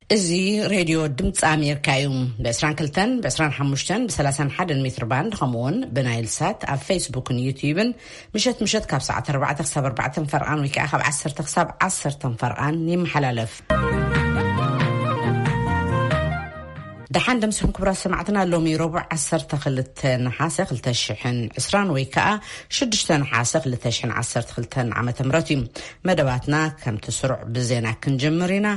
እዚ ሬድዮ ድምፂ ኣሜሪካ እዩ። ብ22፣ ብ25፣ ብ31 ሜትር ባንድ፣ ከምኡውን ብናይል ሳት ኣብ ፌስቡክን ዩትዩብን ምሸት ምሸት ካብ ሰዓት ኣርባዕተ ክሳብ ኣርባዕተ ፈርቓን ወይ ከዓ ካብ ዓሰርተ ክሳብ ዓሰርተ ፈርቓን ይመሓላለፍ። ደሓን ደምስኹም ክቡራት ሰማዕትና። ሎሚ ረቡዕ ዓሰርተ ክልተ ነሓሰ ክልተ ሽሕን ዕስራን ወይ ከዓ ሽዱሽተ ነሓሰ ክልተ ሽሕን ዓሰርተ ክልተን ዓመተ ምህረት እዩ። መደባትና ከምቲ ስሩዕ ብዜና ክንጅምር ኢና።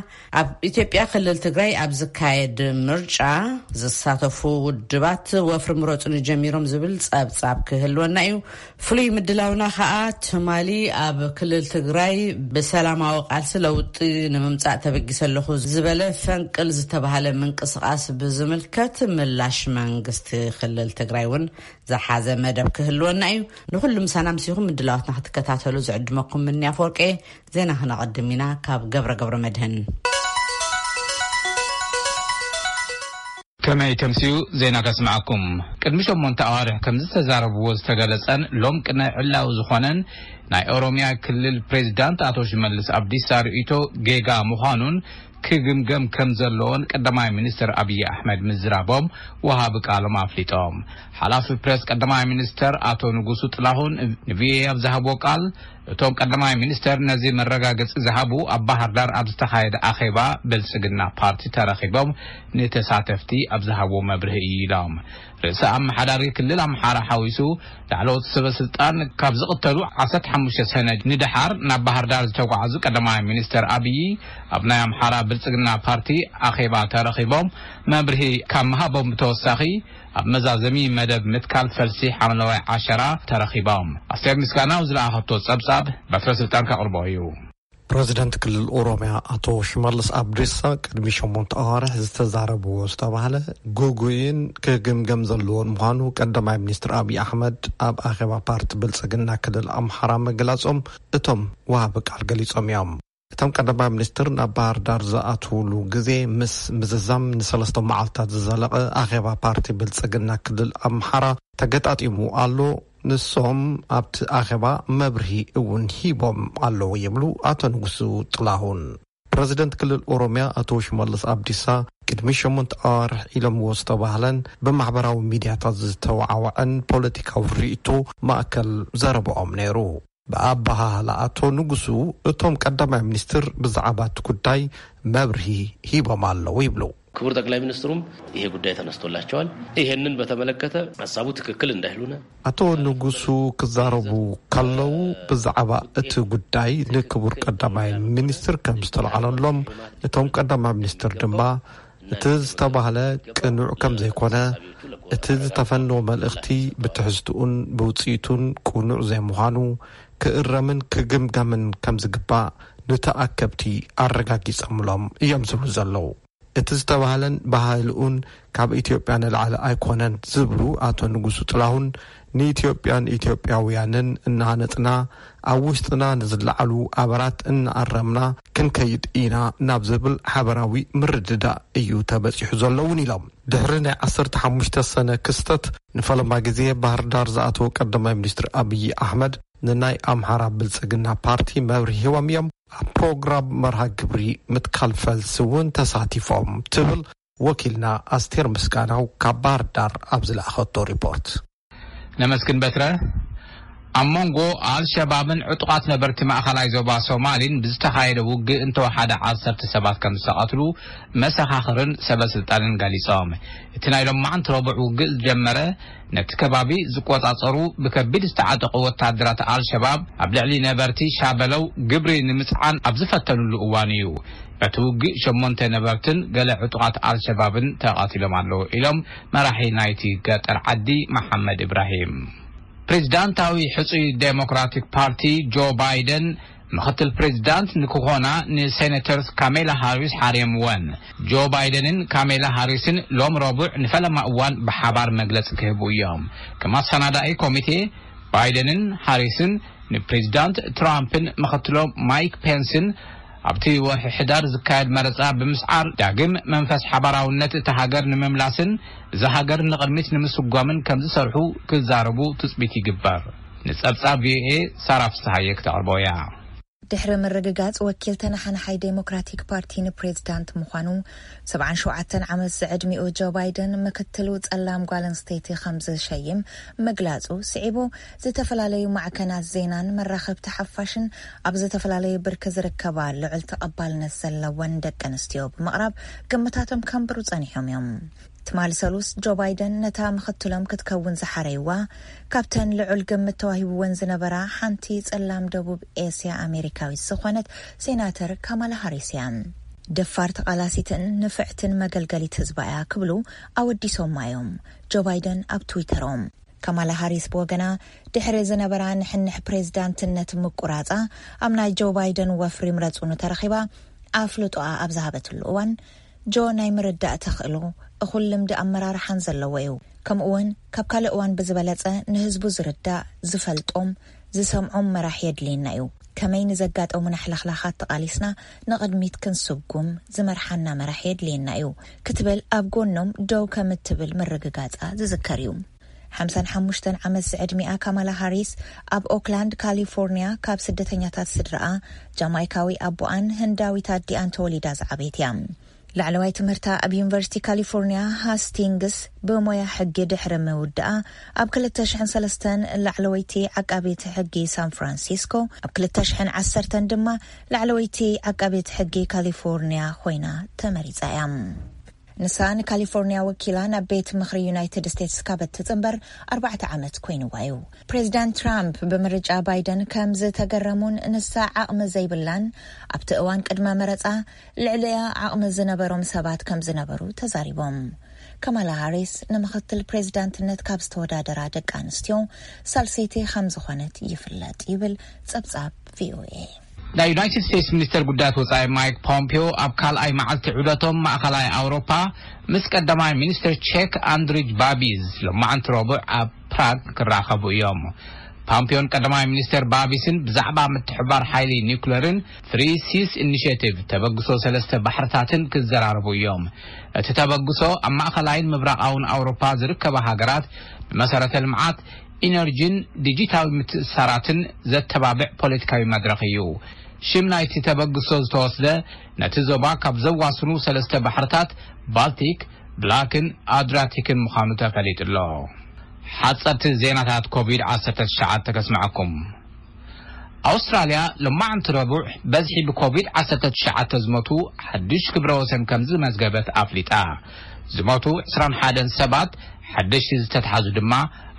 ኣብ ኢትዮጵያ ክልል ትግራይ ኣብ ዝካየድ ምርጫ ዝሳተፉ ውድባት ወፍሪ ምረጹኒ ጀሚሮም ዝብል ጸብጻብ ክህልወና እዩ። ፍሉይ ምድላውና ከኣ ትማሊ ኣብ ክልል ትግራይ ብሰላማዊ ቃልሲ ለውጢ ንምምጻእ ተበጊሰ ኣለኹ ዝበለ ፈንቅል ዝተባህለ ምንቅስቃስ ብዝምልከት ምላሽ መንግስቲ ክልል ትግራይ እውን ዝሓዘ መደብ ክህልወና እዩ። ንኹሉ ምሳና ምሲኹም ምድላዋትና ክትከታተሉ ዝዕድመኩም ምንያ ፎርቄ። ዜና ክነቐድም ኢና ካብ ገብረ ገብረ መድህን። ከመይ ተምስዩ ዜና ከስምዓኩም። ቅድሚ ሸሞንተ ኣዋርሕ ከም ዝተዛረብዎ ዝተገለጸን ሎም ቅነ ዕላዊ ዝኾነን ናይ ኦሮሚያ ክልል ፕሬዚዳንት ኣቶ ሽመልስ ኣብዲሳ ርእይቶ ጌጋ ምዃኑን ክግምገም ከም ዘለዎን ቀዳማይ ሚኒስትር ኣብይ ኣሕመድ ምዝራቦም ወሃቢ ቃሎም ኣፍሊጦም። ሓላፊ ፕሬስ ቀዳማይ ሚኒስተር ኣቶ ንጉሱ ጥላሁን ንቪኦኤ ኣብ ዝሃብዎ ቃል፣ እቶም ቀዳማይ ሚኒስተር ነዚ መረጋገጺ ዝሃቡ ኣብ ባህር ዳር ኣብ ዝተኻየደ ኣኼባ ብልጽግና ፓርቲ ተረኺቦም ንተሳተፍቲ ኣብ ዝሃብዎ መብርሂ እዩ ኢሎም። ርእሰ ኣመሓዳሪ ክልል ኣምሓራ ሓዊሱ ላዕለዎት ሰበ ስልጣን ካብ ዝቕተሉ ዓሰርተ ሓሙሽተ ሰነ ንደሓር ናብ ባህር ዳር ዝተጓዓዙ ቀዳማይ ሚኒስተር ኣብይ ኣብ ናይ ኣምሓራ ብልጽግና ፓርቲ ኣኼባ ተረኺቦም መብርሂ ካብ ምሃቦም ብተወሳኺ ኣብ መዛዘሚ መደብ ምትካል ፈልሲ ሓምለዋይ ዓሸራ ተረኺቦም። ኣስቴር ምስጋናው ዝለኣኸቶ ጸብጻብ በትረ ስልጣን ከቕርቦ እዩ። ፕረዚደንት ክልል ኦሮሚያ ኣቶ ሽመልስ ኣብዲሳ ቅድሚ ሸሞንተ ኣዋርሕ ዝተዛረብዎ ዝተባህለ ግጉይን ክግምገም ዘለዎን ምዃኑ ቀዳማይ ሚኒስትር ኣብይ ኣሕመድ ኣብ ኣኼባ ፓርቲ ብልጽግና ክልል ኣምሓራ ምግላጾም እቶም ወሃቢ ቃል ገሊጾም እዮም። እቶም ቀዳማይ ሚኒስትር ናብ ባህር ዳር ዝኣትውሉ ግዜ ምስ ምዝዛም ንሰለስተ መዓልታት ዝዘለቐ ኣኼባ ፓርቲ ብልጽግና ክልል ኣምሓራ ተገጣጢሙ ኣሎ። ንሶም ኣብቲ ኣኼባ መብርሂ እውን ሂቦም ኣለዉ ይብሉ ኣቶ ንጉሱ ጥላሁን። ፕረዚደንት ክልል ኦሮሚያ ኣቶ ሽመልስ ኣብዲሳ ቅድሚ ሸሞንተ ኣዋርሕ ኢሎምዎ ዝተባህለን ብማሕበራዊ ሚድያታት ዝተወዓወዐን ፖለቲካዊ ርእይቶ ማእከል ዘረባኦም ነይሩ። ብኣበሃህላ ኣቶ ንጉሱ እቶም ቀዳማይ ሚኒስትር ብዛዕባ እቲ ጉዳይ መብርሂ ሂቦም ኣለዉ ይብሉ። ክቡር ጠቅላይ ሚኒስትሩም ይሄ ጉዳይ ተነስቶላቸዋል። ይሄንን በተመለከተ ሀሳቡ ትክክል እንዳይሉነ ኣቶ ንጉሱ ክዛረቡ ከለዉ ብዛዕባ እቲ ጉዳይ ንክቡር ቀዳማይ ሚኒስትር ከም ዝተለዓለሎም እቶም ቀዳማይ ሚኒስትር ድማ እቲ ዝተባህለ ቅኑዕ ከም ዘይኮነ እቲ ዝተፈነወ መልእኽቲ ብትሕዝትኡን ብውፅኢቱን ቅኑዕ ዘይምዃኑ ክእረምን ክግምገምን ከም ዝግባእ ንተኣከብቲ ኣረጋጊጸምሎም እዮም ዝብሉ ዘለዉ። እቲ ዝተባህለን ባህልኡን ካብ ኢትዮጵያ ንላዕሊ ኣይኮነን ዝብሉ ኣቶ ንጉሱ ጥላሁን ንኢትዮጵያን ኢትዮጵያውያንን እናሃነጽና ኣብ ውሽጥና ንዝለዓሉ ኣበራት እናኣረምና ክንከይድ ኢና ናብ ዝብል ሓበራዊ ምርድዳእ እዩ ተበጺሑ ዘሎ እውን ኢሎም። ድሕሪ ናይ ዓሰርተ ሓሙሽተ ሰነ ክስተት ንፈለማ ግዜ ባህር ዳር ዝኣተወ ቀዳማይ ሚኒስትር ኣብይ ኣሕመድ ንናይ ኣምሓራ ብልጽግና ፓርቲ መብርሂ ሂቦም እዮም። ኣብ ፕሮግራም መርሃ ግብሪ ምትካል ፈልሲ እውን ተሳቲፎም ትብል ወኪልና ኣስቴር ምስጋናው ካብ ባህር ዳር ኣብ ዝለኣኸቶ ሪፖርት። ነመስግን በትረ። ኣብ መንጎ ኣልሸባብን ዕጡቓት ነበርቲ ማእኸላይ ዞባ ሶማሊን ብዝተኻየደ ውግእ እንተወሓደ ዓሰርተ ሰባት ከም ዝተቐትሉ መሰኻኽርን ሰበ ስልጣንን ገሊጾም። እቲ ናይ ሎማዓንቲ ረቡዕ ውግእ ዝጀመረ ነቲ ከባቢ ዝቆጻጸሩ ብከቢድ ዝተዓጠቑ ወታደራት ኣልሸባብ ኣብ ልዕሊ ነበርቲ ሻበለው ግብሪ ንምጽዓን ኣብ ዝፈተኑሉ እዋን እዩ። በቲ ውግእ ሸሞንተ ነበርትን ገለ ዕጡቓት ኣልሸባብን ተቐቲሎም ኣለዉ ኢሎም መራሒ ናይቲ ገጠር ዓዲ መሓመድ ኢብራሂም። ፕሬዚዳንታዊ ሕጹይ ዴሞክራቲክ ፓርቲ ጆ ባይደን ምኽትል ፕሬዚዳንት ንክኾና ንሴኔተርስ ካሜላ ሃሪስ ሓርዮምወን። ጆ ባይደንን ካሜላ ሃሪስን ሎም ረቡዕ ንፈለማ እዋን ብሓባር መግለጺ ክህቡ እዮም። ከም ኣሰናዳኢ ኮሚቴ ባይደንን ሃሪስን ንፕሬዚዳንት ትራምፕን ምኽትሎም ማይክ ፔንስን ኣብቲ ወርሒ ሕዳር ዝካየድ መረጻ ብምስዓር ዳግም መንፈስ ሓባራውነት እታ ሃገር ንምምላስን እዛ ሃገር ንቕድሚት ንምስጓምን ከም ዝሰርሑ ክዛረቡ ትጽቢት ይግበር። ንጸብጻብ ቪኦኤ ሳራ ፍስሃየ ክተቕርቦ እያ። ድሕሪ ምርግጋጽ ወኪል ተነሓናሓይ ዴሞክራቲክ ፓርቲ ንፕሬዝዳንት ምዃኑ፣ ሰብዓን ሸውዓተን ዓመት ዝዕድሚኡ ጆ ባይደን ምክትሉ ጸላም ጓል ኣንስተይቲ ከም ዝሸይም ምግላጹ ስዒቡ፣ ዝተፈላለዩ ማዕከናት ዜናን መራኸብቲ ሓፋሽን ኣብ ዝተፈላለዩ ብርኪ ዝርከባ ልዑል ተቐባልነት ዘለወን ደቂ ኣንስትዮ ብምቕራብ ግምታቶም ከንብሩ ጸኒሖም እዮም። ትማሊ ሰሉስ ጆ ባይደን ነታ ምክትሎም ክትከውን ዝሓረይዋ፣ ካብተን ልዑል ግምት ተዋሂብወን ዝነበራ ሓንቲ ጸላም ደቡብ ኤስያ ኣሜሪካዊት ዝኾነት ሴናተር ካማላ ሃሪስ እያ። ደፋር ተቓላሲትን ንፍዕትን መገልገሊት ህዝባ እያ ክብሉ ኣወዲሶማ እዮም ጆ ባይደን ኣብ ትዊተሮም። ካማላ ሃሪስ ብወገና፣ ድሕሪ ዝነበራ ንሕንሕ ፕሬዝዳንትነት ምቁራጻ፣ ኣብ ናይ ጆ ባይደን ወፍሪ ምረጹ ንተረኺባ ኣፍልጦኣ ኣብ ዝሃበትሉ እዋን፣ ጆ ናይ ምርዳእ ተኽእሎ፣ እኹል ልምዲ ኣመራርሓን ዘለዎ እዩ። ከምኡ እውን ካብ ካልእ እዋን ብዝበለጸ ንህዝቡ ዝርዳእ፣ ዝፈልጦም፣ ዝሰምዖም መራሒ የድልየና እዩ። ከመይ ንዘጋጠሙና ሕልኽላኻት ተቓሊስና ንቕድሚት ክንስጉም ዝመርሓና መራሒ የድልየና እዩ ክትብል ኣብ ጎኖም ደው ከም እትብል ምርግጋጻ ዝዝከር እዩ። ሓምሳን ሓሙሽተን ዓመት ዝዕድሚኣ ካማላ ሃሪስ ኣብ ኦክላንድ ካሊፎርኒያ ካብ ስደተኛታት ስድራኣ ጃማይካዊ ኣቦኣን ህንዳዊት ኣዲኣን ተወሊዳ ዝዓበየት እያ። ላዕለዋይ ትምህርታ ኣብ ዩኒቨርሲቲ ካሊፎርኒያ ሃስቲንግስ ብሞያ ሕጊ ድሕሪ ምውድኣ፣ ኣብ ክልተ ሽሕን ሰለስተን ላዕለወይቲ ዓቃቤት ሕጊ ሳን ፍራንሲስኮ፣ ኣብ ክልተ ሽሕን ዓሰርተን ድማ ላዕለወይቲ ዓቃቤት ሕጊ ካሊፎርኒያ ኮይና ተመሪጻ እያ። ንሳ ንካሊፎርኒያ ወኪላ ናብ ቤት ምኽሪ ዩናይትድ ስቴትስ ካብ እትጽንበር ኣርባዕተ ዓመት ኮይንዋ እዩ። ፕሬዚዳንት ትራምፕ ብምርጫ ባይደን ከም ዝተገረሙን ንሳ ዓቕሚ ዘይብላን ኣብቲ እዋን ቅድመ መረጻ ልዕሊኣ ዓቕሚ ዝነበሮም ሰባት ከም ዝነበሩ ተዛሪቦም። ካማላ ሃሪስ ንምኽትል ፕሬዚዳንትነት ካብ ዝተወዳደራ ደቂ ኣንስትዮ ሳልሰይቲ ከም ዝኾነት ይፍለጥ ይብል ጸብጻብ ቪኦኤ። ናይ ዩናይትድ ስቴትስ ሚኒስተር ጉዳያት ወጻኢ ማይክ ፖምፒዮ ኣብ ካልኣይ መዓልቲ ዑደቶም ማእኸላይ ኣውሮፓ ምስ ቀዳማይ ሚኒስተር ቼክ ኣንድሪጅ ባቢዝ ሎማዓንቲ ረቡዕ ኣብ ፕራግ ክራኸቡ እዮም። ፓምፒዮን ቀዳማይ ሚኒስተር ባቢስን ብዛዕባ ምትሕባር ሓይሊ ኒውክለርን ፍሪ ሲስ ኢኒሽቲቭ ተበግሶ ሰለስተ ባሕርታትን ክዘራረቡ እዮም። እቲ ተበግሶ ኣብ ማእኸላይን ምብራቓውን ኣውሮፓ ዝርከባ ሃገራት ንመሰረተ ልምዓት፣ ኢነርጂን ዲጂታዊ ምትእስሳራትን ዘተባብዕ ፖለቲካዊ መድረኽ እዩ። ሽም ናይቲ ተበግሶ ዝተወስደ ነቲ ዞባ ካብ ዘዋስኑ ሰለስተ ባሕርታት ባልቲክ፣ ብላክን ኣድሪያቲክን ምዃኑ ተፈሊጡ ኣሎ። ሓጸርቲ ዜናታት ኮቪድ ዓሰርተ ትሽዓተ ከስምዐኩም። ኣውስትራልያ ሎማዓንቲ ረቡዕ በዝሒ ብኮቪድ ዓሰርተ ትሽዓተ ዝሞቱ ሓድሽ ክብረ ወሰን ከም ዝመዝገበት ኣፍሊጣ። ዝሞቱ ዕስራን ሓደን ሰባት፣ ሓደሽቲ ዝተትሓዙ ድማ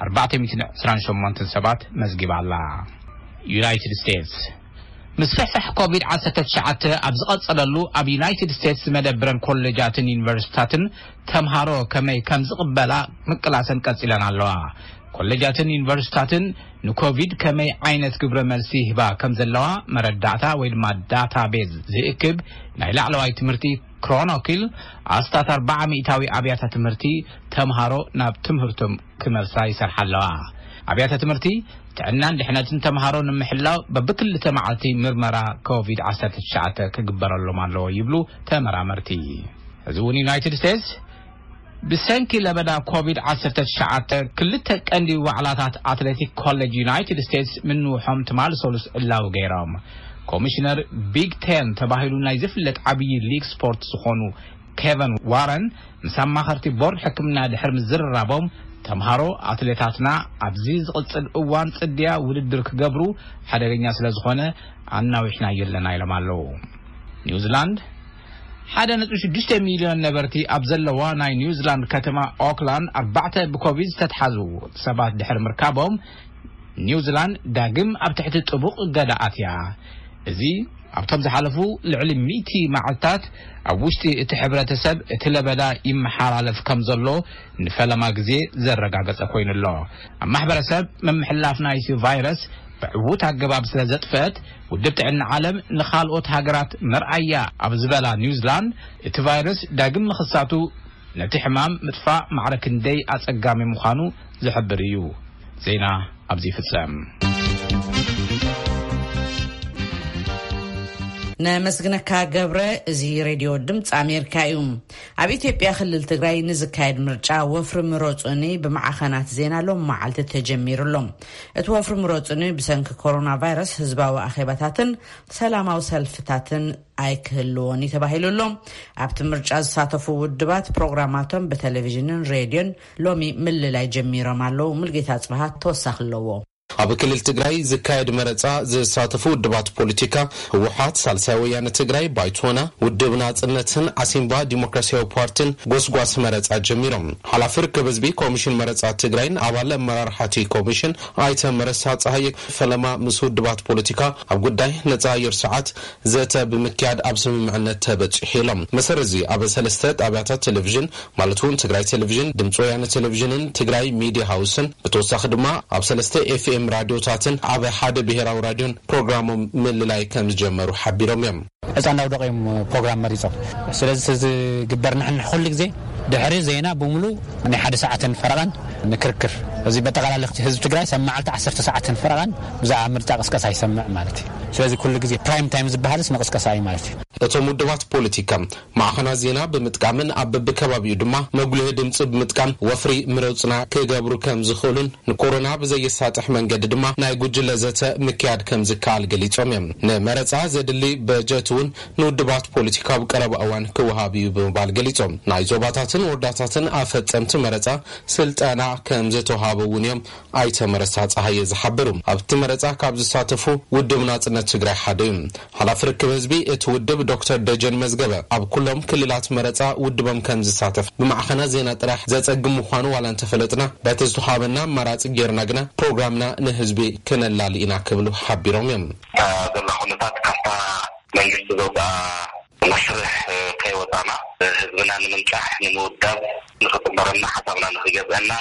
ኣርባዕተ ሚእትን ዕስራን ሸሞንተን ሰባት መዝጊባ ኣላ። ዩናይትድ ስቴትስ ምስፍሕፋሕ ኮቪድ ዓሰርተ ትሽዓተ ኣብ ዝቐጸለሉ፣ ኣብ ዩናይትድ ስቴትስ መደብረን ኮሌጃትን ዩኒቨርሲቲታትን ተምሃሮ ከመይ ከም ዝቕበላ ምቅላሰን ቀጺለን ኣለዋ። ኮሌጃትን ዩኒቨርሲቲታትን ንኮቪድ ከመይ ዓይነት ግብረ መልሲ ይህባ ከም ዘለዋ መረዳእታ ወይ ድማ ዳታቤዝ ዝእክብ ናይ ላዕለዋይ ትምህርቲ ክሮኖኪል፣ ኣስታት ኣርባዓ ሚእታዊ ኣብያተ ትምህርቲ ተምሃሮ ናብ ትምህርቶም ክመልሳ ይሰርሓ ኣለዋ። ኣብያተ ትምህርቲ ጥዕናን ድሕነትን ተምሃሮ ንምሕላው በብክልተ መዓልቲ ምርመራ ኮቪድ ዓሰርተ ትሽዓተ ክግበረሎም ኣለዎ ይብሉ ተመራመርቲ። እዚ እውን ዩናይትድ ስቴትስ ብሰንኪ ለበዳ ኮቪድ ዓሰርተ ትሽዓተ ክልተ ቀንዲ ዋዕላታት ኣትሌቲክ ኮሌጅ ዩናይትድ ስቴትስ ምንውሖም ትማሊ ሰሉስ ዕላዊ ገይሮም። ኮሚሽነር ቢግ ቴን ተባሂሉ ናይ ዝፍለጥ ዓብዪ ሊግ ስፖርት ዝኾኑ ኬቨን ዋረን ምስ ኣማኸርቲ ቦርድ ሕክምና ድሕሪ ምዝርራቦም፣ ተምሃሮ ኣትሌታትና ኣብዚ ዝቕጽል እዋን ጽድያ ውድድር ክገብሩ ሓደገኛ ስለ ዝኾነ ኣናዊሕናዮ ኣለና ኢሎም ኣለዉ። ኒውዚላንድ ሓደ ነጥቢ ሽዱሽተ ሚልዮን ነበርቲ ኣብ ዘለዋ ናይ ኒውዚላንድ ከተማ ኦክላንድ ኣርባዕተ ብኮቪድ ዝተትሓዙ ሰባት ድሕሪ ምርካቦም፣ ኒውዚላንድ ዳግም ኣብ ትሕቲ ጥቡቕ እገዳ ኣትያ። እዚ ኣብቶም ዝሓለፉ ልዕሊ ሚእቲ መዓልታት ኣብ ውሽጢ እቲ ሕብረተሰብ እቲ ለበዳ ይመሓላለፍ ከም ዘሎ ንፈለማ ግዜ ዘረጋገጸ ኮይኑ ኣሎ። ኣብ ማሕበረሰብ ምምሕልላፍ ናይቲ ቫይረስ ብዕዉት ኣገባብ ስለ ዘጥፈአት፣ ውድብ ጥዕና ዓለም ንኻልኦት ሃገራት መርኣያ ኣብ ዝበላ ኒውዚላንድ፣ እቲ ቫይረስ ዳግም ምኽሳቱ ነቲ ሕማም ምጥፋእ ማዕረ ክንደይ ኣጸጋሚ ምዃኑ ዝሕብር እዩ። ዜና ኣብዚ ይፍጸም። ነመስግነካ ገብረ። እዚ ሬድዮ ድምፂ ኣሜሪካ እዩ። ኣብ ኢትዮጵያ ክልል ትግራይ ንዝካየድ ምርጫ ወፍሪ ምረፁኒ ብማዕኸናት ዜና ሎም መዓልቲ ተጀሚሩ ኣሎ። እቲ ወፍሪ ምረፁኒ ብሰንኪ ኮሮና ቫይረስ ህዝባዊ ኣኼባታትን ሰላማዊ ሰልፍታትን ኣይክህልዎን እዩ ተባሂሉ ኣሎ። ኣብቲ ምርጫ ዝሳተፉ ውድባት ፕሮግራማቶም ብቴሌቪዥንን ሬድዮን ሎሚ ምልላይ ጀሚሮም ኣለዉ። ሙልጌታ ጽብሃ ተወሳኺ ኣለዎ። ኣብ ክልል ትግራይ ዝካየድ መረፃ ዝሳተፉ ውድባት ፖለቲካ ህወሓት፣ ሳልሳይ ወያነ ትግራይ፣ ባይቶና፣ ውድብ ናፅነትን ዓሲምባ ዲሞክራሲያዊ ፓርቲን ጎስጓስ መረፃ ጀሚሮም። ሓላፊ ርክብ ህዝቢ ኮሚሽን መረፃ ትግራይን ኣባል ኣመራርሓ እቲ ኮሚሽን ኣይተ መረሳ ፀሃየ ፈለማ ምስ ውድባት ፖለቲካ ኣብ ጉዳይ ነፃ ኣየር ሰዓት ዘተ ብምክያድ ኣብ ስምምዕነት ተበፂሑ ኢሎም። መሰረት እዚ ኣብ ሰለስተ ጣብያታት ቴሌቪዥን ማለት እውን ትግራይ ቴሌቪዥን፣ ድምፂ ወያነ ቴሌቪዥንን ትግራይ ሚድያ ሃውስን ብተወሳኺ ድማ ኣብ ሰለስተ ኤፍኤም ራድዮታትን ኣብ ሓደ ብሄራዊ ራድዮን ፕሮግራሞም ምልላይ ከም ዝጀመሩ ሓቢሮም እዮም። ዕፃ እንዳውደቑ እዮም ፕሮግራም መሪፆም። ስለዚ እቲ ዝግበር ንሕንሕ ኩሉ ግዜ ድሕሪ ዜና ብምሉ ናይ ሓደ ሰዓትን ፈረቓን ንክርክር፣ እዚ በጠቓላሊ ህዝቢ ትግራይ ሰብ መዓልቲ ዓሰርተ ሰዓትን ፈረቓን ብዛዕባ ምርጫ ቅስቀሳ ይሰምዕ ማለት እዩ። ስለዚ ኩሉ ግዜ ፕራይም ታይም ዝበሃልስ ንቅስቀሳ እዩ ማለት እዩ። እቶም ውድባት ፖለቲካ ማዕኸናት ዜና ብምጥቃምን ኣብ በብከባቢኡ ድማ መጉልሂ ድምፂ ብምጥቃም ወፍሪ ምረፁና ክገብሩ ከም ዝኽእሉን ንኮሮና ብዘየሳጥሕ መንገዲ ድማ ናይ ጉጅለ ዘተ ምክያድ ከም ዝከኣል ገሊፆም እዮም። ንመረፃ ዘድሊ በጀት እውን ንውድባት ፖለቲካ ኣብ ቀረባ እዋን ክወሃብ እዩ ብምባል ገሊፆም። ናይ ዞባታትን ወረዳታትን ኣፈፀምቲ መረፃ ስልጠና ከም ዝተውሃበ እውን እዮም ኣይተ መረሳ ፀሃየ ዝሓበሩ። ኣብቲ መረፃ ካብ ዝሳተፉ ውድብ ናፅነት ትግራይ ሓደ እዩ። ሓላፊ ርክብ ህዝቢ እቲ ውድብ ዶክተር ደጀን መዝገበ ኣብ ኩሎም ክልላት መረፃ ውድቦም ከም ዝሳተፍ ብማዕኸናት ዜና ጥራሕ ዘፀግም ምዃኑ ዋላ እንተፈለጥና፣ በቲ ዝተውሃበና ኣማራፂ ጌርና ግና ፕሮግራምና ንህዝቢ ክነላሊ ኢና ክብሉ ሓቢሮም እዮም። እታ ዘላ ኩነታት ካብታ መንግስቲ ዘውፅኣ መስርሕ ከይወፃና ህዝብና ንምንቃሕ፣ ንምውዳብ፣ ንክፅበረና፣ ሓሳብና ንክገዝአና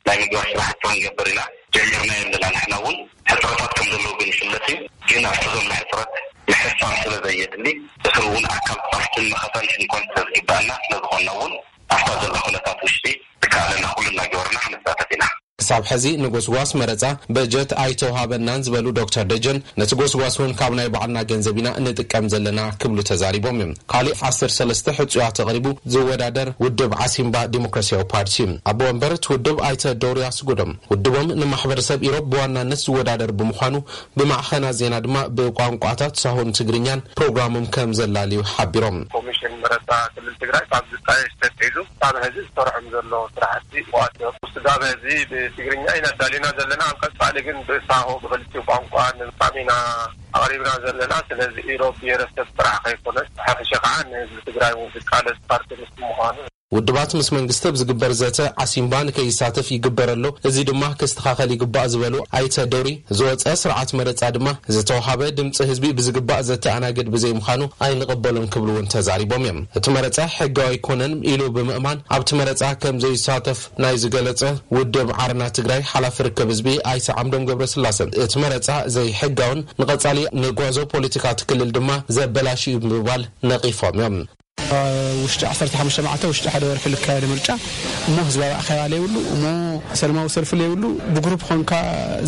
ናይ ምግባር ስራሕቲ ክንገብር ኢና። ጀሚርና የለና። ንሕና እውን ሕፅረታት ከም ዘለዉ ግን ይፍለጥ እዩ። ግን ኣብቲ ዘሎ ሕፅረት ምሕሳብ ስለ ዘየድሊ፣ እስሩ እውን ኣካል ፓርትን መኸታን ሽንኳን ስለ ዝግባኣና፣ ስለ ዝኾንና እውን ኣብታ ዘላ ኩነታት ውሽጢ ዝከኣለና ኩሉ እናገበርና ክንሳተፍ ኢና። ክሳብ ሕዚ ንጎስጓስ መረፃ በጀት ኣይተውሃበናን ዝበሉ ዶክተር ደጀን፣ ነቲ ጎስጓስ እውን ካብ ናይ ባዕልና ገንዘብ ኢና ንጥቀም ዘለና ክብሉ ተዛሪቦም እዮም። ካሊእ ዓሰርተ ሰለስተ ሕፁያት ኣቕሪቡ ዝወዳደር ውድብ ዓሲምባ ዲሞክራሲያዊ ፓርቲ እዩ። ኣቦ ወንበር እቲ ውድብ ኣይተ ዶርያስ ጉዶም፣ ውድቦም ንማሕበረሰብ ኢሮብ ብዋናነት ዝወዳደር ብምዃኑ ብማዕኸናት ዜና ድማ ብቋንቋታት ሳሆን ትግርኛን ፕሮግራሞም ከም ዘላልዩ ሓቢሮም። ኮሚሽን መረፃ ክልል ትግራይ ካብ ዝጣየሽ ተትሒዙ ካብ ሕዚ ዝሰርሖም ዘሎ ስራሕቲ ዋት ስጋብ ሕዚ ብትግርኛ ኢና ኣዳሊና ዘለና። ኣብ ቀፃሊ ግን ብሳሆ ብክልቲኡ ቋንቋ ንምጻም ኢና ኣቕሪብና ዘለና። ስለዚ ኢሮብ ብሄረሰብ ጥራሕ ከይኮነስ ብሓፈሻ ከዓ ንህዝቢ ትግራይ እውን ዝቃለስ ፓርቲ ምስ ምዃኑ ውድባት ምስ መንግስቲ ኣብ ዝግበር ዘተ ዓሲምባ ንከይሳተፍ ይግበር ኣሎ፣ እዚ ድማ ክስተኻኸል ይግባእ ዝበሉ ኣይተ ዶሪ፣ ዝወፀ ስርዓት መረፃ ድማ ዝተውሃበ ድምፂ ህዝቢ ብዝግባእ ዘተኣናግድ ብዘይምዃኑ ኣይንቕበሉን ክብሉ እውን ተዛሪቦም እዮም። እቲ መረፃ ሕጋዊ ኣይኮነን ኢሉ ብምእማን ኣብቲ መረፃ ከም ዘይሳተፍ ናይ ዝገለፀ ውድብ ዓረና ትግራይ ሓላፊ ርክብ ህዝቢ ኣይተ ዓምዶም ገብረስላሰ፣ እቲ መረፃ ዘይሕጋውን ንቐፃሊ ንጓዞ ፖለቲካ እቲ ክልል ድማ ዘበላሽ እዩ ብምባል ነቒፎም እዮም። ውሽጢ ዓሰርተ ሓሙሽተ መዓልተ፣ ውሽጢ ሓደ ወርሒ ልካየድ ምርጫ እሞ ህዝባዊ ኣኼባ ለይብሉ እሞ ሰላማዊ ሰልፊ ለይብሉ ብግሩፕ ኾንካ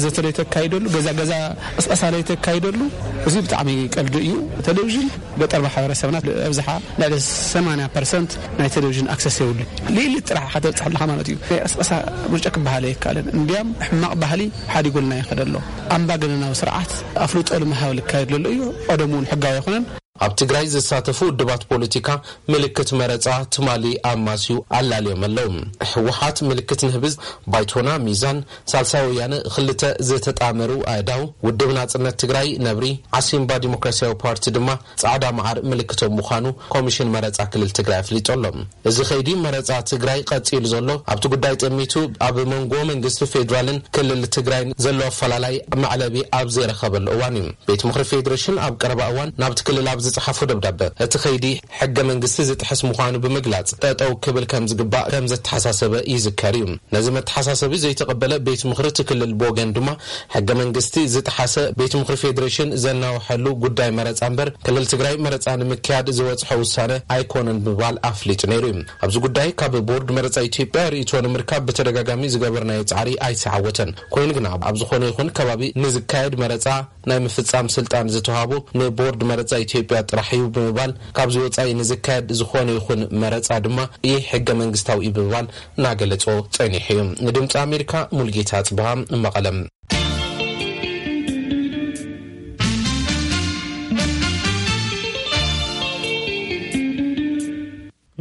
ዘተ ለይተካይደሉ፣ ገዛ ገዛ ቅስቀሳ ለይተካይደሉ፣ እዚ ብጣዕሚ ቀልዲ እዩ። ቴሌቪዥን ገጠር ማሕበረሰብና ኣብዝሓ ልዕሊ ሰማንያ ፐርሰንት ናይ ቴሌቪዥን ኣክሰስ የብሉ። ልኢሊ ጥራሕ ከተብፅሕ ኣለካ ማለት እዩ። ናይ ቅስቀሳ ምርጫ ክበሃል ኣይከኣልን። እንዲያም ሕማቕ ባህሊ ሓዲጉልና ይኸደ ኣሎ። ኣምባገነናዊ ስርዓት ኣፍልጦ ንምሃብ ልካየድ ዘሎ እዩ። ቀደሙ እውን ሕጋዊ ኣይኮነን። ኣብ ትግራይ ዝሳተፉ ውድባት ፖለቲካ ምልክት መረፃ ትማሊ ኣማስዩ ኣላልዮም ኣለዉ። ህወሓት ምልክት ንህብዝ፣ ባይቶና ሚዛን፣ ሳልሳይ ወያነ ክልተ ዝተጣመሩ ኣእዳው፣ ውድብ ናፅነት ትግራይ ነብሪ፣ ዓሲምባ ዲሞክራሲያዊ ፓርቲ ድማ ፃዕዳ መዓር ምልክቶም ምዃኑ ኮሚሽን መረፃ ክልል ትግራይ ኣፍሊጡ ኣሎ። እዚ ከይዲ መረፃ ትግራይ ቀፂሉ ዘሎ ኣብቲ ጉዳይ ጠሚቱ ኣብ መንጎ መንግስቲ ፌዴራልን ክልል ትግራይን ዘሎ ኣፈላላይ መዕለቢ ኣብ ዘይረኸበሉ እዋን እዩ። ቤት ምኽሪ ፌዴሬሽን ኣብ ቀረባ እዋን ናብቲ ክልል ኣብ ዝፀሓፎ ደብዳበ፣ እቲ ከይዲ ሕገ መንግስቲ ዝጥሕስ ምዃኑ ብምግላፅ ጠጠው ክብል ከም ዝግባእ ከም ዘተሓሳሰበ ይዝከር እዩ። ነዚ መተሓሳሰቢ ዘይተቐበለ ቤት ምኽሪ እቲ ክልል ብወገን ድማ ሕገ መንግስቲ ዝጠሓሰ ቤት ምኽሪ ፌዴሬሽን ዘናውሐሉ ጉዳይ መረፃ እምበር ክልል ትግራይ መረፃ ንምክያድ ዝበፅሖ ውሳነ ኣይኮነን ብምባል ኣፍሊጡ ነይሩ እዩ። ኣብዚ ጉዳይ ካብ ቦርድ መረፃ ኢትዮጵያ ርእይቶ ንምርካብ ብተደጋጋሚ ዝገበርናዮ ፃዕሪ ኣይተዓወተን። ኮይኑ ግና ኣብ ዝኾነ ይኹን ከባቢ ንዝካየድ መረፃ ናይ ምፍፃም ስልጣን ዝተዋህቦ ንቦርድ መረፃ ኢትዮጵያ ጥራሕ እዩ ብምባል፣ ካብዚ ወጻኢ ንዝካየድ ዝኾነ ይኹን መረጻ ድማ ኢ ሕገ መንግስታዊ እዩ ብምባል እናገለጾ ጸኒሑ እዩ። ንድምፂ ኣሜሪካ ሙልጌታ ጽብሃ መቐለም።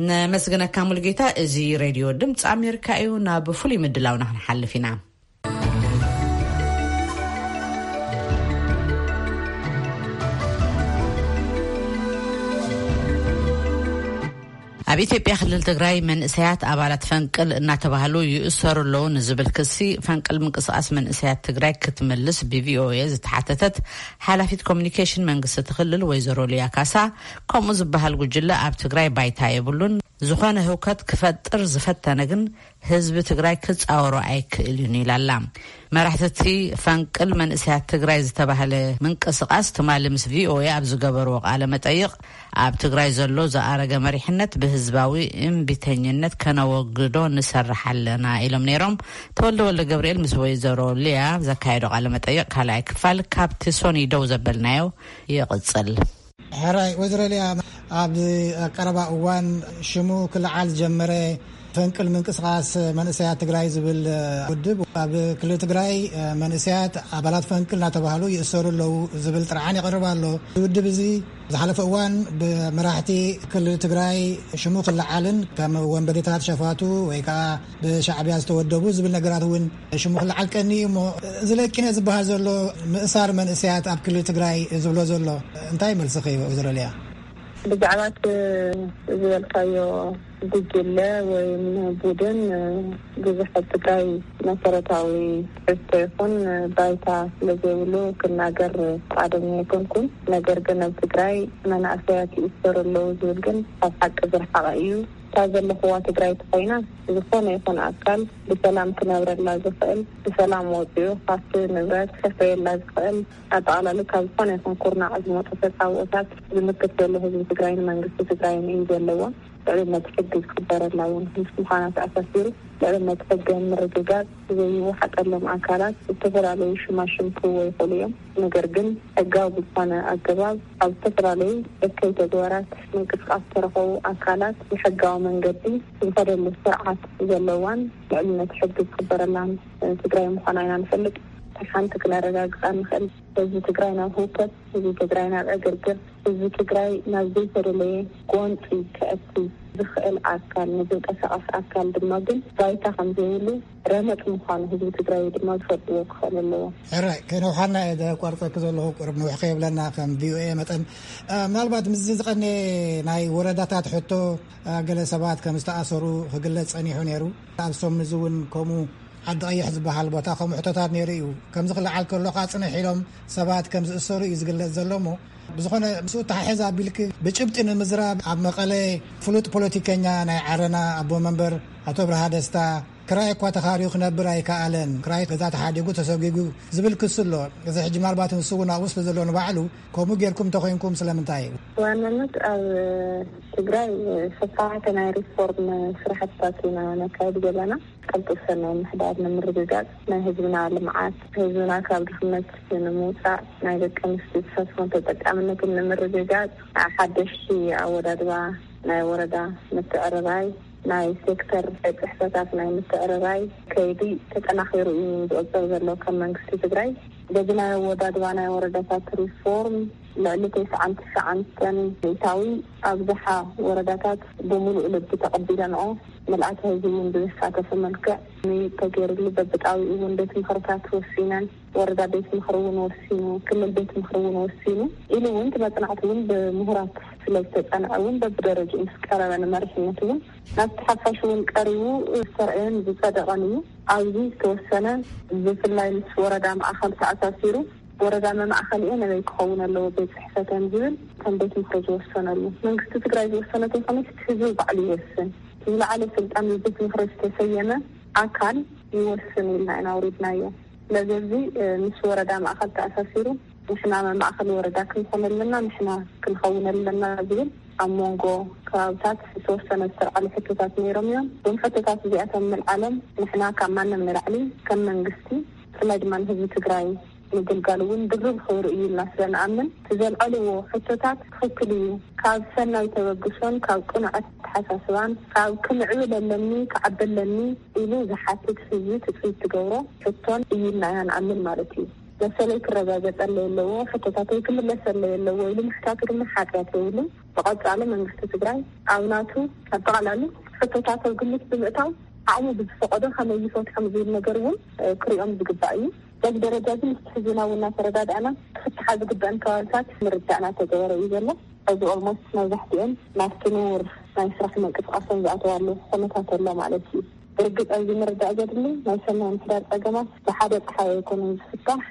ነመስግነካ ሙልጌታ። እዚ ሬድዮ ድምፂ ኣሜሪካ እዩ። ናብ ፍሉይ ምድላውና ክንሓልፍ ኢና። ኣብ ኢትዮጵያ ክልል ትግራይ መንእሰያት ኣባላት ፈንቅል እናተባህሉ ይእሰሩ ኣለዉ ንዝብል ክሲ፣ ፈንቅል ምንቅስቃስ መንእሰያት ትግራይ ክትምልስ ብቪኦኤ ዝተሓተተት ሓላፊት ኮሚኒኬሽን መንግስቲ እቲ ክልል ወይዘሮ ሊያ ካሳ፣ ከምኡ ዝበሃል ጉጅለ ኣብ ትግራይ ባይታ የብሉን፣ ዝኾነ ህውከት ክፈጥር ዝፈተነ ግን ህዝቢ ትግራይ ክጻወሮ ኣይክእል እዩን ኢላ ኣላ። መራሕቲ እቲ ፈንቅል መንእሰያት ትግራይ ዝተባህለ ምንቅስቃስ ትማሊ ምስ ቪኦኤ ኣብ ዝገበርዎ ቃለ መጠይቕ፣ ኣብ ትግራይ ዘሎ ዝኣረገ መሪሕነት ብህዝባዊ እምቢተኝነት ከነወግዶ ንሰርሕ ኣለና ኢሎም ነይሮም። ተወልደ ወልደ ገብርኤል ምስ ወይዘሮ ሊያ ዘካየዶ ቃለ መጠይቕ ካልኣይ ክፋል ካብቲ ሶኒ ደው ዘበልናዮ ይቕጽል። ሕራይ ወይዘሮ ሊያ፣ ኣብ ቀረባ እዋን ሽሙ ክለዓል ዝጀመረ ፈንቅል ምንቅስቃስ መንእሰያት ትግራይ ዝብል ውድብ፣ ኣብ ክልል ትግራይ መንእሰያት ኣባላት ፈንቅል እናተባህሉ ይእሰሩ ኣለዉ ዝብል ጥርዓን ይቐርብ ኣሎ። እዚ ውድብ እዚ ዝሓለፈ እዋን ብመራሕቲ ክልል ትግራይ ሽሙ ክለዓልን ከም ወንበዴታት ሸፋቱ ወይ ከዓ ብሻዕብያ ዝተወደቡ ዝብል ነገራት እውን ሽሙ ክለዓል ቀኒ እዩ እሞ፣ እዚ ለቂነ ዝበሃል ዘሎ ምእሳር መንእሰያት ኣብ ክልል ትግራይ ዝብሎ ዘሎ እንታይ መልስኺ እዩ ወይዘሮ ሊያ? ብዛዕባ እቲ ዝበልካዮ ጉጅለ ወይም ቡድን ብዙሕ ኣብ ትግራይ መሰረታዊ ትሕዝቶ ይኹን ባይታ ስለዘይብሉ ክናገር ፍቓደኛ ኣይኮንኩን። ነገር ግን ኣብ ትግራይ መናእሰያት ይእሰሩ ኣለዉ ዝብል ግን ካብ ሓቂ ዝረሓቐ እዩ። እታ ዘለኽዋ ትግራይ ተኾይና፣ ዝኾነ ይኹን ኣካል ብሰላም ክነብረላ ዝኽእል፣ ብሰላም ወፂኡ ሃፍቲ ንብረት ከፍረየላ ዝኽእል፣ ኣጠቓላሊ ካብ ዝኾነ ይኹን ኩርናዕ ዝመፁ ተፃብኦታት ዝምክት ዘሎ ህዝቢ ትግራይን መንግስቲ ትግራይን እዩ ዘለዎ። ልዕልነት ሕጊ ዝኽበረላ እውን ምስ ምዃና ተኣሳሲሩ፣ ልዕልነት ሕጊ ንምርግጋፅ ዘይወሓጠሎም ኣካላት ዝተፈላለዩ ሽማሽም ክህቦ ይኽእሉ እዮም። ነገር ግን ሕጋዊ ብዝኾነ ኣገባብ ኣብ ዝተፈላለዩ እከይ ተግባራት ምንቅስቃስ ዝተረኸቡ ኣካላት ብሕጋዊ መንገዲ ዝኸደሉ ስርዓት ዘለዋን ልዕልነት ሕጊ ዝኽበረላን ትግራይ ምዃና ኢና ንፈልጥ። ሓንቲ ክነረጋግፃ ንኽእል፣ ህዝቢ ትግራይ ናብ ህውከት፣ ህዝቢ ትግራይ ናብ ዕግርግር፣ ህዝቢ ትግራይ ናብ ዘይተደለየ ጎንፂ ከእቲ ዝኽእል ኣካል፣ ንዝንቀሳቐስ ኣካል ድማ ግን ባይታ ከም ዘይብሉ ረመፅ ምዃኑ ህዝቢ ትግራይ ድማ ዝፈልጥዎ ክኽእል ኣለዎ። ሕራይ፣ ከነውሓና እየ ዘቋርፀኪ ዘለኹ፣ ቁሩብ ንውሕ ከየብለና ከም ቪኦኤ መጠን። እ፣ ምናልባት ምስዚ ዝቐነ ናይ ወረዳታት ሕቶ፣ እ፣ ገለ ሰባት ከም ዝተኣሰሩ ክግለጽ ጸኒሑ ነይሩ። ኣብ ሶምንዚ እውን ከምኡ ዓዲ ቀይሕ ዝበሃል ቦታ ከምኡ ሕቶታት ነይሩ እዩ። ከምዚ ክለዓል ከሎ ከዓ ጽንሕ ኢሎም ሰባት ከም ዝእሰሩ እዩ ዝግለጽ ዘሎ እሞ፣ ብዝኾነ ምስኡ ተሓሒዝ ኣቢልኪ ብጭብጢ ንምዝራብ፣ ኣብ መቐለ ፍሉጥ ፖለቲከኛ ናይ ዓረና ኣቦ መንበር ኣቶ ብርሃ ደስታ ክራይ እኳ ተኻርዩ ክነብር ኣይከኣለን፣ ክራይ ገዛ ተሓዲጉ ተሰጒጉ ዝብል ክሲ ኣሎ። እዚ ሕጂ ምናልባት ንሱ እውን ኣብኡ ስለ ዘሎ ንባዕሉ ከምኡ ጌርኩም እንተኾይንኩም ስለምንታይ እዩ? ብዋናነት ኣብ ትግራይ ሰፋሕቲ ናይ ሪፎርም ስራሕትታት ኢና ነካይድ ዘለና። ቅልጡፍ ሰናይ ምሕዳር ንምርግጋጽ፣ ናይ ህዝብና ልምዓት፣ ህዝብና ካብ ድኽነት ንምውጻእ፣ ናይ ደቂ ኣንስትዮ ተሳትፎን ተጠቃምነትን ንምርግጋጽ፣ ሓደሽቲ ኣወዳድባ ናይ ወረዳ ምትዕርራይ፣ ናይ ሴክተር ጽሕፈታት ናይ ምትዕርራይ ከይዲ ተጠናኺሩ እዩ ዝቕጽል ዘሎ። ከም መንግስቲ ትግራይ በዚ ናይ ኣወዳድባ ናይ ወረዳታት ሪፎርም ልዕሊ ተስዓን ትሽዓን ሚእታዊ ኣብዝሓ ወረዳታት ብምሉእ ልቢ ተቐቢለንኦ፣ ምልኣተ ህዝቢ እውን ብዘሳተፈ መልክዕ ምይይጥ ተገይሩሉ፣ በብጣቢኡ እውን ቤት ምኽርታት ወሲነን፣ ወረዳ ቤት ምኽሪ እውን ወሲኑ፣ ክልል ቤት ምኽሪ እውን ወሲኑ ኢሉ እውን እቲ መጽናዕቲ እውን ብምሁራት ስለ ዝተጸንዐ እውን በብደረጃኡ ምስ ቀረበ ንመሪሕነት እውን ናብቲ ሓፋሽ እውን ቀሪቡ ዝተረኣየን ዝጸደቐን እዩ። ኣብዚ ዝተወሰነ ብፍላይ ምስ ወረዳ ማእኸል ተኣሳሲሩ ወረዳ መማእኸሊኤ ነበይ ክኸውን ኣለዎ ቤት ጽሕፈተን ዝብል ከም ቤት ምኽሪ ዝወሰነሉ መንግስቲ ትግራይ ዝወሰነ ተይኮነስ ህዝቢ ባዕሉ ይወስን። ዝለዓለ ስልጣን ብቤት ምኽሪ ዝተሰየመ ኣካል ይወስን ኢልና ኢና ኣውሪድናዮ። ስለዚ እዚ ምስ ወረዳ ማእኸል ተኣሳሲሩ ንሕና መማእኸሊ ወረዳ ክንኾን ኣለና፣ ንሕና ክንኸውን ኣለና ዝብል ኣብ መንጎ ከባብታት ዝተወሰነ ዝተልዓሉ ሕቶታት ነይሮም እዮም። እዞም ሕቶታት እዚኣቶም ምልዓሎም ንሕና ካብ ማንም ንላዕሊ ከም መንግስቲ ብፍላይ ድማ ንህዝቢ ትግራይ ምግልጋል እውን ድርብ ክብሪ እዩ ኢልና ስለ ንኣምን፣ እቲ ዘልዐልዎ ሕቶታት ትኽክል እዩ። ካብ ሰናይ ተበግሶን ካብ ቅኑዕ ኣተሓሳስባን፣ ካብ ክምዕብል ኣለኒ፣ ክዓቢ ኣለኒ ኢሉ ዝሓትት ህዝቢ ትፅቢት ትገብሮ ሕቶን እዩ ኢልና ኢና ንኣምን ማለት እዩ። መሰለይ ክረጋገፀለይ ኣለዎ፣ ሕቶታተይ ክምለሰለይ ኣለዎ ኢሉ ምሕታቱ ድማ ሓጢኣት የብሉን። ብቐጻሊ መንግስቲ ትግራይ ኣብ ናቱ ኣጠቓላሊ ሕቶታት ኣብ ግምት ብምእታው ዓቕሙ ብዝፈቐዶ ከመይ ይፈትሖም ዝብል ነገር እውን፣ እ፣ ክሪኦም ዝግባእ እዩ። በዚ ደረጃ ግን ምስቲ ሕዝብና እውን እናተረዳዳእና ክፍትሓ ዝግበአን ከባብታት ምርዳእ እናተገበረ እዩ ዘሎ። ሕዚ ኦልሞስት መብዛሕትኦም ናብቲ ንቡር ናይ ስራሕ ምንቅስቃሶም ዝኣተዋሉ ኩነታት ኣሎ ማለት እዩ። ብርግፅ ኣብዚ ምርዳእ ዘድሊ ናይ ሰናይ ምሕዳር ፀገማት ብሓደ ፀሓይ ኣይኮነን ዝፍታሕ።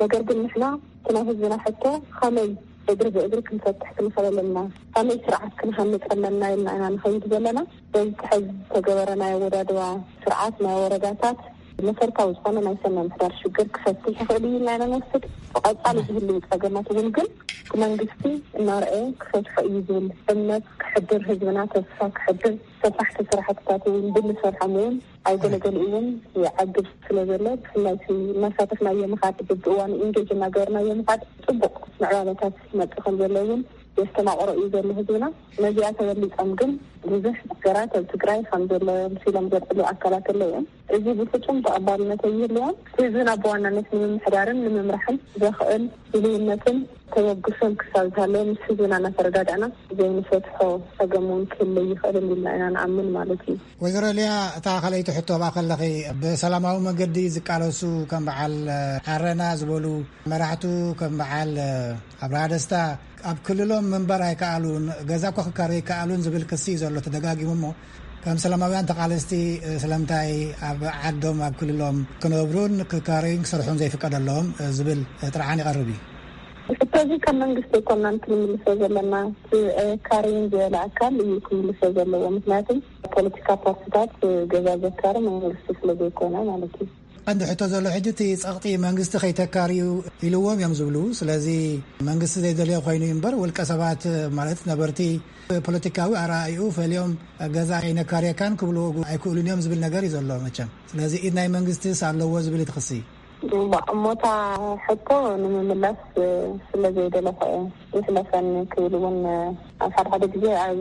ነገር ግን ንሕና እቲ ናይ ህዝብና ሕቶ ከመይ እግሪ ብእግሪ ክንፈትሕ ክንኽእል ኣለና፣ ከመይ ስርዓት ክንሃንፅ ኣለና ኢልና ኢና ንኸይድ ዘለና። በዚ ሕዚ ዝተገበረ ናይ ኣወዳድባ ስርዓት ናይ ወረዳታት መሰረታዊ ዝኾነ ናይ ሰናይ ምሕዳር ሽግር ክፈትሕ ይኽእል እዩ ኢልና ኢና ንወስድ። ብቐፃሊ ዝህልዉ ፀገማት እውን ግን እቲ መንግስቲ እናርኣየ ክፈትሖ እዩ ዝብል እምነት ክሕድር፣ ህዝብና ተስፋ ክሕድር፣ ሰፋሕቲ ስራሕትታት እውን ብንሰርሖም እውን ኣይገለገሉ እውን ይዓግብ ስለ ዘሎ፣ ብፍላይ እቲ እናሳተፍናዮ ምኻድ፣ በብእዋኑ ኢንጌጅ እናገበርናዮ ምኻድ ፅቡቕ ምዕባለታት ይመፅእ ከም ዘሎ እውን የስተማቕሮ እዩ ዘሎ ህዝብና። ነዚኣ ተበሊፆም ግን ብዙሕ ነገራት ኣብ ትግራይ ከም ዘሎ ምሲሎም ዘልዕሉ ኣካላት ኣለዉ እዮም። እዚ ብፍፁም ተቐባልነት ኣይህልዎን። ህዝብና ብዋናነት ንምምሕዳርን ንምምራሕን ዘኽእል ድልውነትን ተበግሶን ክሳብ ዝሃለወ፣ ምስ ህዝብና እናተረዳዳእና ዘይንፈትሖ ፀገም እውን ክህልይ ይኽእል ኢልና ኢና ንኣምን ማለት እዩ። ወይዘሮ ሊያ፣ እታ ካልኣይቲ ሕቶ ኣብኣ ከለኺ፣ ብሰላማዊ መገዲ ዝቃለሱ ከም በዓል ዓረና ዝበሉ መራሕቱ፣ ከም በዓል ኣብርሃ ደስታ፣ ኣብ ክልሎም ምንባር ኣይከኣሉን፣ ገዛ እኮ ክካረዩ ኣይከኣሉን ዝብል ክሲ እዩ ዘሎ ተደጋጊሙ። እሞ ከም ሰላማውያን ተቓለስቲ፣ ስለምንታይ ኣብ ዓዶም፣ ኣብ ክልሎም ክነብሩን ክካረዩን ክሰርሑን ዘይፍቀደሎም ዝብል ጥርዓን ይቐርብ እዩ። ሕቶ እዚ ካብ መንግስቲ ኣይኮናን ክንምልሶ ዘለና፣ እቲ ኣይካረዩን ዝበለ ኣካል እዩ ክምልሶ ዘለዎ። ምክንያቱ ፖለቲካ ፓርቲታት ገዛ ዘካሪ መንግስቲ ስለ ዘይኮነ ማለት እዩ። ቀንዲ ሕቶ ዘሎ ሕጂ እቲ ጸቕጢ መንግስቲ ከይተካርዩ ኢልዎም እዮም ዝብሉ። ስለዚ መንግስቲ ዘይደልዮ ኮይኑ እዩ እምበር፣ ውልቀ ሰባት ማለት ነበርቲ ፖለቲካዊ ኣረኣእይኡ ፈልዮም ገዛ ኣይነካርየካን ክብሉ ኣይክእሉን እዮም ዝብል ነገር እዩ ዘሎ መቸም። ስለዚ ኢድ ናይ መንግስቲስ ኣለዎ ዝብል እቲ ክሲ። እሞ እታ ሕቶ ንምምላስ ስለ ዘይደለኹ እየ። ይሕለፈኒ ክብል እውን ኣብ ሓደ ሓደ ግዜ ኣብ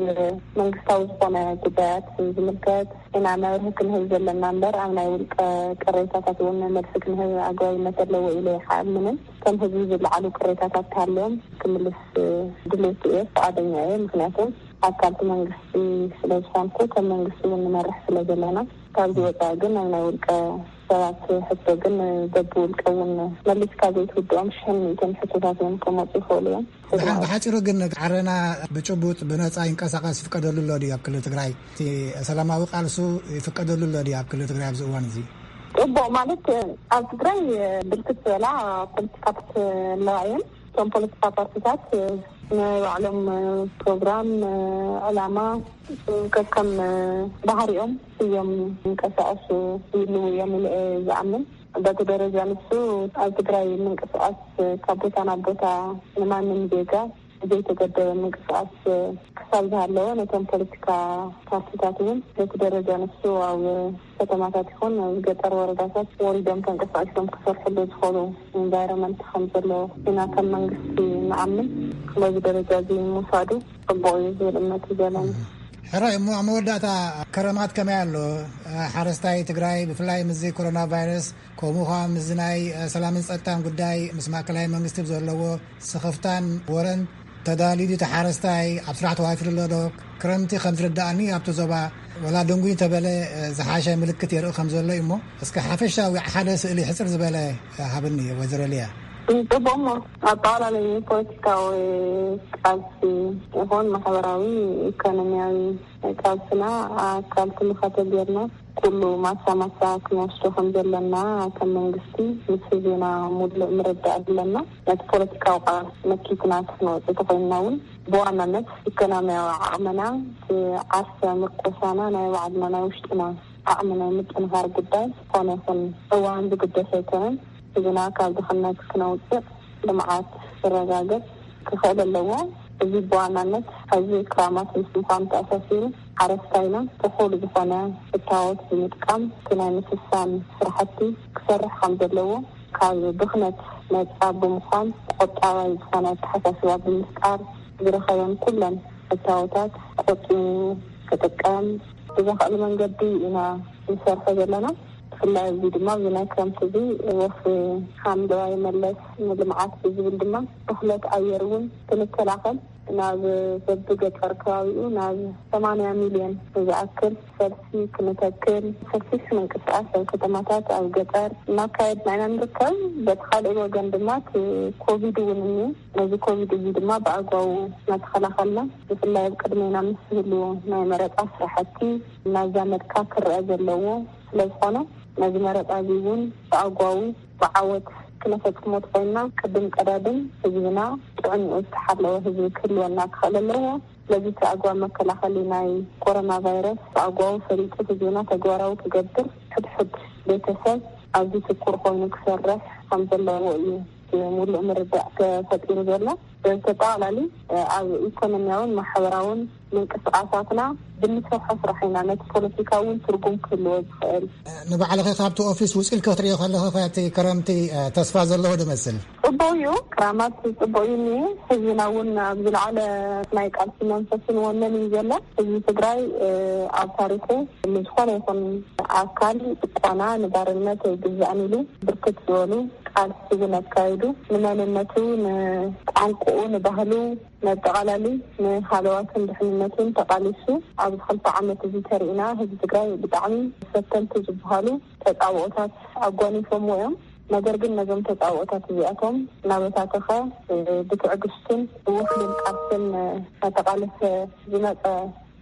መንግስታዊ ዝኾነ ጉዳያት ዝምልከት ኢና መብርሂ ክንህብ ዘለና እምበር፣ ኣብ ናይ ውልቀ ቅሬታታት እውን መልሲ ክንህብ ኣግባብነት ኣለዎ ኢለ ይሓምንን። ከም ህዝቢ ዝለዓሉ ቅሬታታት ተሃልዮም ክምልስ ድሌት እየ፣ ፍቓደኛ እየ። ምክንያቱ ኣካልቲ መንግስቲ ስለ ዝኾንኩ፣ ከም መንግስቲ እውን ንመርሕ ስለ ዘለና፣ ካብዚ ወፃኢ ግን ኣብ ናይ ውልቀ ሰባት ሕቶ ግን በብውልቀ እውን መሊስካ ዘይትውድኦም ሽሕን ሚእትን ሕቶታት እውን ክመፁ ይኽእሉ እዮም። ብሓ-፣ ብሓፂሩ ግን ዓረና ብጭቡጥ ብነፃ ይንቀሳቐስ ይፍቀደሉ ኣሎ ድዩ ኣብ ክልል ትግራይ? እቲ ሰላማዊ ቃልሱ ይፍቀደሉ ኣሎ ድዩ ኣብ ክልል ትግራይ ኣብዚ እዋን እዚ? ፅቡቕ ማለት ኣብ ትግራይ ብርክት ዝበላ ፖለቲካታት ኣለዋ እየን። እቶም ፖለቲካ ፓርቲታት ናይ ባዕሎም ፕሮግራም፣ ዕላማ ከከም ባህሪኦም እዮም ይንቀሳቐሱ ይህልዉ እዮም ኢለ እየ ዝኣምን። በቲ ደረጃ ንሱ ኣብ ትግራይ ምንቅስቓስ ካብ ቦታ ናብ ቦታ ንማንም ዜጋ ዘይተገደበ ምንቅስቓስ ክሳብ ዝሃለወ፣ ነቶም ፖለቲካ ፓርቲታት እውን በቲ ደረጃ ንሱ ኣብ ከተማታት ይኹን ኣብ ገጠር ወረዳታት ወሪዶም ተንቀሳቒሶም ክሰርሕሉ ዝኽእሉ ኢንቫይሮመንት ከም ዘሎ ኢና ከም መንግስቲ ንኣምን። በዚ ደረጃ እዚ ምውሳዱ ጽቡቕ እዩ ዝብል እምነት እዩ ዘለኒ። ሕራይ እሞ ኣብ መወዳእታ ከረማት ከመይ ኣሎ? ሓረስታይ ትግራይ ብፍላይ ምስዚ ኮሮና ቫይረስ፣ ከምኡ ኸዓ ምስዚ ናይ ሰላምን ጸጥታን ጉዳይ ምስ ማእከላይ መንግስቲ ብዘለዎ ስኽፍታን ወረን ተዳልዩ ድዩ እቲ ሓረስታይ? ኣብ ስራሕ ተዋፊሩ ኣሎ ዶ? ክረምቲ ከም ዝርድኣኒ ኣብቲ ዞባ ወላ ድንጉይ እንተበለ ዝሓሸ ምልክት የርኢ ከም ዘሎ እዩ። እሞ እስከ ሓፈሻዊ ሓደ ስእሊ ሕጽር ዝበለ ሃብኒ ወይዘሮ ሊያ። ጽቡቕ እሞ ኣጠቓላሊ ፖለቲካዊ ቃልሲ ይኹን ማሕበራዊ ኢኮኖሚያዊ ቃልስና ኣካል ትምኸተ ጌርና ኩሉ ማሳ ማሳ ክንወስዶ ከም ዘለና ከም መንግስቲ ምስ ህዝብና ሙሉእ ምርዳእ ኣለና። ነቲ ፖለቲካዊ ቃልሲ መኪትና ክንወፅእ ተኾይንና እውን ብዋናነት ኢኮኖሚያዊ ዓቕምና፣ እቲ ዓርሰ ምርኮሳና፣ ናይ ባዕልና ናይ ውሽጥና ዓቕሚ ናይ ምጥንኻር ጉዳይ ዝኾነ ይኹን እዋን ዝግደስ ኣይኮነን። ህዝብና ካብ ድኽነት ክነውፅእ፣ ልምዓት ክረጋገፅ ክኽእል ኣለዎ። እዚ ብዋናነት ሕዚ ክራማት ምስ ምዃኑ ተኣሳሲሩ ሓረስታይና እኹል ዝኾነ እታወት ብምጥቃም እቲ ናይ ምስሳን ስራሕቲ ክሰርሕ ከም ዘለዎ፣ ካብ ብኽነት ነጻ ብምዃን፣ ቁጠባዊ ዝኾነ ኣተሓሳስባ ብምፍጣር፣ ዝረኸበን ኩለን እታወታት ቆጢቡ ክጥቀም ብዘኽእል መንገዲ ኢና ንሰርሖ ዘለና። ብፍላይ እዚ ድማ ኣብዚ ናይ ክረምቲ እዚ ወፍ ሓምለዋይ መለስ ንልምዓት ብዝብል ድማ ብኽለት ኣየር እውን ክንከላኸል ናብ በብገጠር ከባቢኡ ናብ ሰማንያ ሚልዮን ዝኣክል ፈልሲ ክንተክል ሰፊሕ ምንቅስቃስ ኣብ ከተማታት፣ ኣብ ገጠር እናካየድና ኢና ንርከብ። በቲ ካልእ ወገን ድማ እቲ ኮቪድ እውን እኒኦ። ነዚ ኮቪድ እዚ ድማ ብኣግባቡ እናተኸላኸልና፣ ብፍላይ ኣብ ቅድሜና ምስ ዝህሉ ናይ መረፃ ስራሕቲ እናዛመድካ ክረአ ዘለዎ ስለዝኾነ፣ ነዚ መረፃ እዚ እውን ብኣግባቡ ብዓወት ክነፈፅሞ ተኾይንና፣ ቅድም ቀዳድም ህዝብና ጥዕንኡ ዝተሓለወ ህዝቢ ክህልወና ክኽእል ኣለዎ። ስለዚ እቲ ኣግባብ መከላኸሊ ናይ ኮሮና ቫይረስ ብኣግባቡ ፈሊጡ ህዝብና ተግባራዊ ክገብር፣ ሕድሕድ ቤተሰብ ኣብዚ ትኩር ኮይኑ ክሰርሕ ከም ዘለዎ እዩ እቲ ሙሉእ ምርዳእ ተፈጢሩ ዘሎ። ብተጠቓላሊ ኣብ ኢኮኖሚያውን ማሕበራውን ምንቅስቃሳትና ብንሰርሖ ስራሕ ኢና ነቲ ፖለቲካ እውን ትርጉም ክህልዎ ዝኽእል። ንባዕልኺ ካብቲ ኦፊስ ውፂልኪ ክትሪኦ ከለኺ ከ እቲ ክረምቲ፣ እ፣ ተስፋ ዘለዎ ዶ መስል? ጽቡቕ እዩ፣ ክራማት ጽቡቕ እዩ እኒሄ። ህዝብና እውን ኣብ ዝለዓለ ናይ ቃልሲ መንፈስን ወነን እዩ ዘሎ። ህዝቢ ትግራይ፣ እ፣ ኣብ ታሪኹ ንዝኾነ ይኹን ኣካል ጭቆና፣ ንባርነት ኣይግዛእን ኢሉ ብርክት ዝበሉ ቃልሲ እውን ኣካይዱ፣ ንመንነቱ፣ ንቋንቋኡ፣ ንባህሉ፣ መጠቓላሊ ንሃለዋትን ድሕንነትን ተቓሊሱ ኣብዚ ክልተ ዓመት እዚ ተሪእና ህዝቢ ትግራይ ብጣዕሚ ፈተንቲ ዝበሃሉ ተጻብኦታት ኣጓኒፎምዎ እዮም። ነገር ግን ነዞም ተጻብኦታት እዚኣቶም እናበታተኸ ብትዕግስትን ብውሕሉል ቃልስን እናተቓለሰ ዝመጸ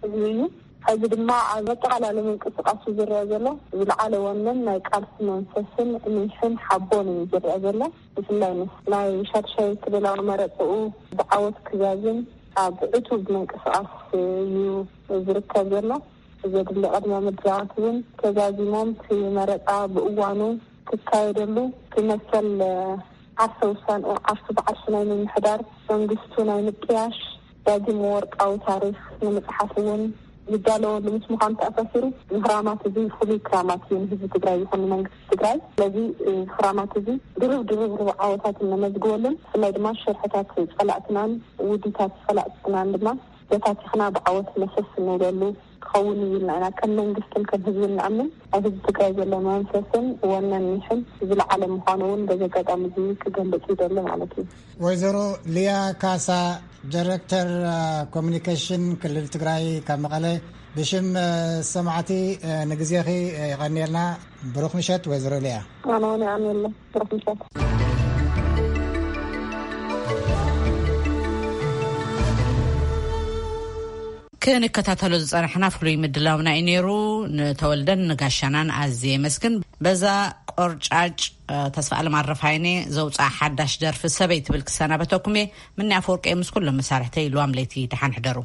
ህዝቢ እዩ። ሕዚ ድማ ኣብ ኣጠቓላሊ ምንቅስቃሱ ዝረአ ዘሎ ዝለዓለ ወነን ናይ ቃልሲ መንፈስን ኒሕን ሓቦን እዩ ዝረአ ዘሎ። ብፍላይ ምስ ናይ ሻድሻይ ክልላዊ መረፅኡ ብዓወት ክዛዝም ኣብ ዕቱብ ምንቅስቃስ እዩ ዝርከብ ዘሎ። ዘድሊ ቅድመ ምድላዋት እውን ተዛዚሞም፣ እቲ መረፃ ብእዋኑ ክካየደሉ፣ ክመሰል ዓርሰ ውሳንኡ ዓርሱ ብዓርሱ ናይ ምምሕዳር፣ መንግስቱ ናይ ምጥያሽ፣ ዳግም ወርቃዊ ታሪኽ ንምፅሓፍ እውን ዝዳለወሉ ምስ ምዃኑ ተኣሳሲሩ፣ እዚ ክራማት እዚ ፍሉይ ክራማት እዩ ንህዝቢ ትግራይ ይኹን ንመንግስቲ ትግራይ። ስለዚ እዚ ክራማት እዚ ድርብ ድርብ ርብዓወታት እነመዝግበሉን፣ ብፍላይ ድማ ሸርሕታት ጸላእትናን ውዲታት ጸላእትናን ድማ በታቲኽና ብዓወት መሰስ እንብለሉ ክኸውን እዩ ኢልና ኢና ከም መንግስትን ከም ህዝብን ንኣምን። ኣብ ህዝቢ ትግራይ ዘሎ መንፈስን ወነን ኒሕን ዝለዓለ ምዃኑ እውን በዚ ኣጋጣሚ እዚ ክገልጽ ይደሊ ማለት እዩ። ወይዘሮ ሊያ ካሳ፣ ዳይሬክተር፣ አ፣ ኮሚኒኬሽን ክልል ትግራይ ካብ መቐለ፣ ብሽም፣ አ፣ ሰማዕቲ፣ አ፣ ንግዜኺ፣ አ፣ የቐንየልና። ብሩኽ ምሸት ወይዘሮ ሊያ። ኣነ እውን የቐንየልና። ብሩኽ ምሸት። ክንከታተሎ ዝጸናሕና ፍሉይ ምድላውና እዩ ነይሩ። ንተወልደን ንጋሻናን ኣዝየ የመስግን። በዛ ቆርጫጭ፣ እ፣ ተስፋ ኣለም ኣረፋይነ ዘውፅኣ ሓዳሽ ደርፊ ሰበይ ትብል ክሰናበተኩም እየ። ምኒ ኣፈወርቂ ምስ ኩሎም መሳርሕተይ፣ ልዋም ለይቲ ደሓን ሕደሩ።